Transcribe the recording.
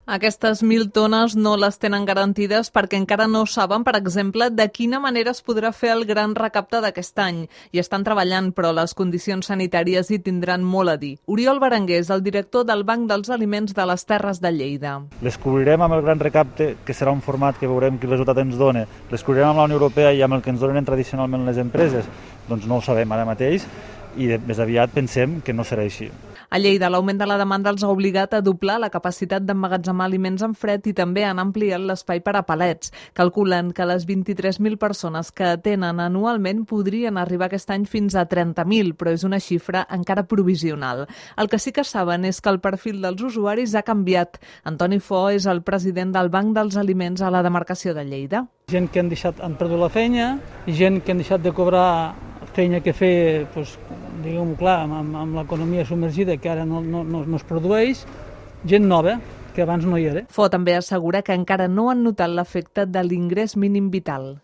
Aquestes 1.000 tones no les tenen garantides perquè encara no saben, per exemple, de quina manera es podrà fer el gran recapte d'aquest any. Hi estan treballant, però les condicions sanitàries hi tindran molt a dir. Oriol Berenguer és el director del Banc dels Aliments de les Terres de Lleida. Les cobrirem amb el gran recapte, que serà un format que veurem quin resultat ens dona. Les cobrirem amb la Unió Europea i amb el que ens donen tradicionalment les empreses. Doncs no ho sabem ara mateix i més aviat pensem que no serà així. A Lleida, l'augment de la demanda els ha obligat a doblar la capacitat d'emmagatzemar aliments en fred i també han ampliat l'espai per a palets. Calculen que les 23.000 persones que atenen anualment podrien arribar aquest any fins a 30.000, però és una xifra encara provisional. El que sí que saben és que el perfil dels usuaris ha canviat. Antoni Fo és el president del Banc dels Aliments a la demarcació de Lleida. Gent que han perdut la feina, gent que han deixat de cobrar feina que fer, diguem-ho clar, amb l'economia submergida que ara no es produeix, gent nova que abans no hi era. Fo també assegura que encara no han notat l'efecte de l'ingrés mínim vital.